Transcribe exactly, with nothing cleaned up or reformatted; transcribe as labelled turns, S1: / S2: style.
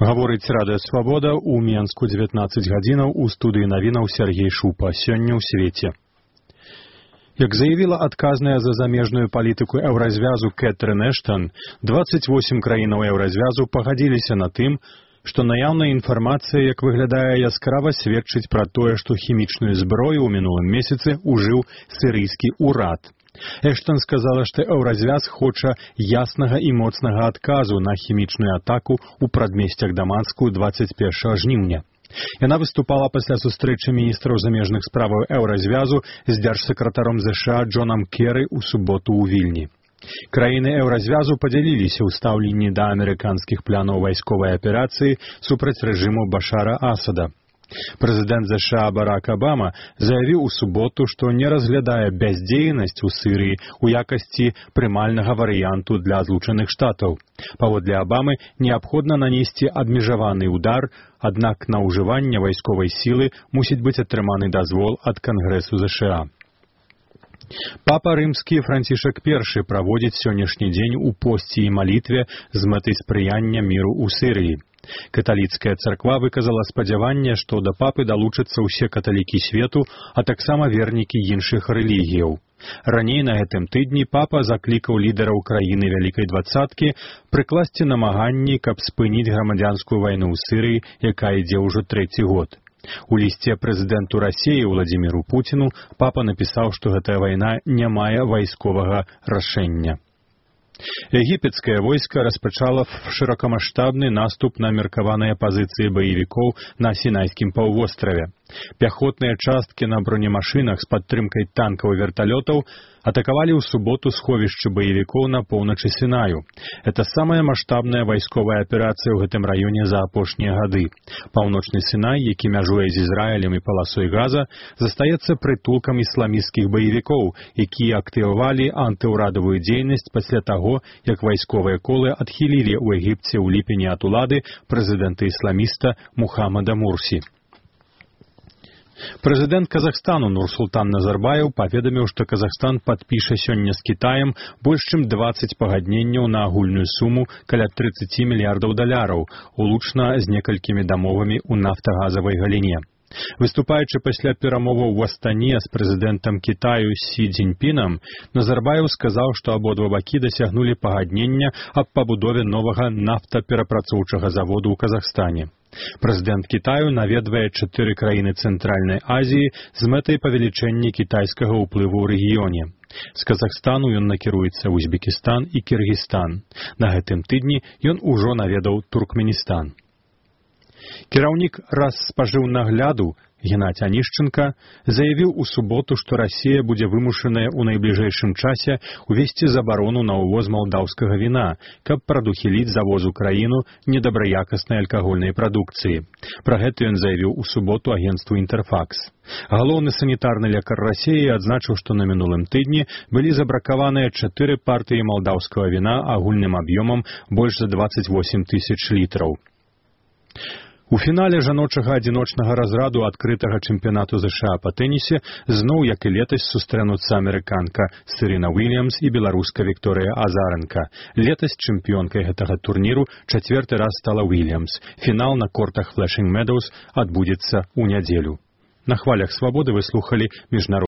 S1: Гаворыць Радыё Свабода ў Менску дзевятнаццаць гадзінаў у студыі навінаў Сергей Шупа. Сёння ў свеце. Як заявіла адказная за замежную палітыку еўразвязу Кэтрын Эштан, дваццаць восем краінаў еўразвязу пагадзіліся на тым, што наяўная інфармацыя, як выглядае, яскрава сведчыць пра тое, што хімічную зброю ў мінулым месяцы ўжыў сірыйскі ўрад. Эштан сказала, што еўразвяз хоча яснага і моцнага адказу на хімічную атаку ў прадмесцях Дамаску дваццаць першага жніўня. Яна выступала пасля сустрэчы міністраў замежных справаў еўразвязу з дзяржсакратаром ЗША Джонам Керры ў суботу ў Вільні. Краіны еўразвязу падзяліліся ў стаўленні да амерыканскіх планаў вайсковай аперацыі супраць рэжыму Башара Асада. Прэзідэнт ЗША Барак Абама заявіў у суботу, што не разглядае бяздзейнасць у Сірыі ў якасці прымальнага варыянту для злучаных штатаў. Паводле Абамы неабходна нанесці абмежаваны ўдар, аднак на ўжыванне вайсковай сілы мусіць быць атрыманы дазвол ад Кангрэсу ЗША. Папа рымскі Францішак першы праводзіць сённяшні дзень у посці і малітве з мэтай спрыяння міру ў Сірыі. Каталіцкая царква выказала спадзяванне, што да папы далучацца ўсе каталікі свету, а таксама вернікі іншых рэлігіяў. Раней на гэтым тыдні папа заклікаў лідараў краіны Вялікай дваццаткі прыкласці намаганні, каб спыніць грамадзянскую вайну ў Сірыі, якая ідзе ўжо трэці год. У лісце прэзідэнту Расіі Владзіміру Пуціну папа напісаў, што гэтая вайна не мае вайсковага рашэння. Егіпецкае войска распачала шырокамаштабны наступ на меркаваныя пазіцыі баевікоў на Сінайскім паўвостраве. Пяхотныя часткі на бронемашынах з падтрымкай танкаў і верталётаў атакавалі ў суботу сховішчы баевікоў на поўначы Сінаю. Это самая маштабная вайсковая аперацыя ў гэтым раёне за апошнія гады. Паўночны Сінай, які мяжуе з Ізраілем і паласой Газа, застаецца прытулкам ісламісцкіх баевікоў, якія актывавалі антыўрадавую дзейнасць пасля таго, як вайсковыя колы адхілілі ў Егіпце ў ліпені ад улады прэзідэнта-ісламіста Мухаммада Мурсі. Прэзідэнт Казахстану Нурсултан Назарбаев паведаміў, што Казахстан падпіша сёння з Кітаем больш чым дваццаць пагадненняў на агульную суму каля трыццаць мільярдаў даляраў, улучна з некалькімі дамовамі ў нафтагазавай галіне. Выступаючы пасля перамоваў у Астане з прэзідэнтам Кітаю Сі Цзіньпінам, Назарбаев сказаў, што абодва бакі дасягнулі пагаднення аб пабудове новага нафтаперапрацоўчага заводу ў Казахстане. Прэзідэнт Кітаю наведвае чатыры краіны Цэнтральнай Азіі з мэтай павелічэння кітайскага ўплыву ў рэгіёне. З Казахстану ён накіруецца ў Узбекістан і Кіргізстан. На гэтым тыдні ён ужо наведаў Туркменістан. Кіраўнік Расспажыўнагляду Геннадзь Анішченка заявіў у суботу, што Расія будзе вымушаная ў найбліжэйшым часе увесці забарону на ўвоз малдаўскага віна, каб прадухіліць завоз у краіну недабраякаснай алкагольнай прадукцыі. Пра гэта ён заявіў у суботу агенцтву «Інтэрфакс». Галоўны санітарны лекар Расіі адзначыў, што на мінулым тыдні былі забракаваныя чатыры партыі малдаўскага віна агульным аб'ёмам больш за дваццаць восем тысяч літраў. У фінале жаночага адзіночнага разраду адкрытага чэмпіянату ЗША па тэнісе зноў, як і летась, сустрэнуцца амерыканка Сырена Уільямс і беларуска Вікторыя Азаренка. Летась чэмпіёнкай гэтага турніру чацвёрты раз стала Уільямс. Фінал на кортах Флэшинг Медоўс адбудзецца ў нядзелю. На хвалях Свабоды вы слухалі міжнародны